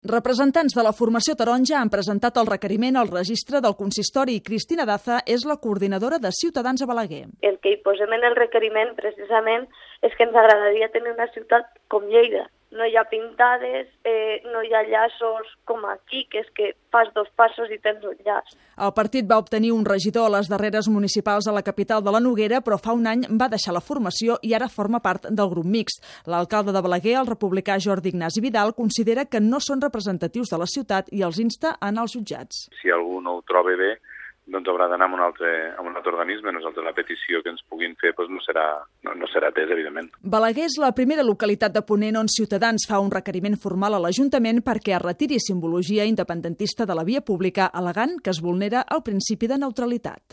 Representants de la formació taronja han presentat el requeriment al registre del consistori i Cristina Daza és la coordinadora de Ciutadans a Balaguer. El que hi posem en el requeriment precisament és que ens agradaria tenir una ciutat com Lleida. No hi ha pintades, no hi ha llaços com aquí, que és que fas 2 passos i tens un llaç. El partit va obtenir un regidor a les darreres municipals a la capital de la Noguera, però fa un any va deixar la formació i ara forma part del grup mixt. L'alcalde de Balaguer, el republicà Jordi Ignasi Vidal, considera que no són representatius de la ciutat i els insta a anar als jutjats. Si algú no ho troba bé, doncs haurà d'anar a un altre organisme. Nosaltres la petició que ens puguin fer no serà atesa, evidentment. Balaguer és la primera localitat de Ponent on Ciutadans fa un requeriment formal a l'Ajuntament perquè es retiri simbologia independentista de la via pública, al·legant que es vulnera el principi de neutralitat.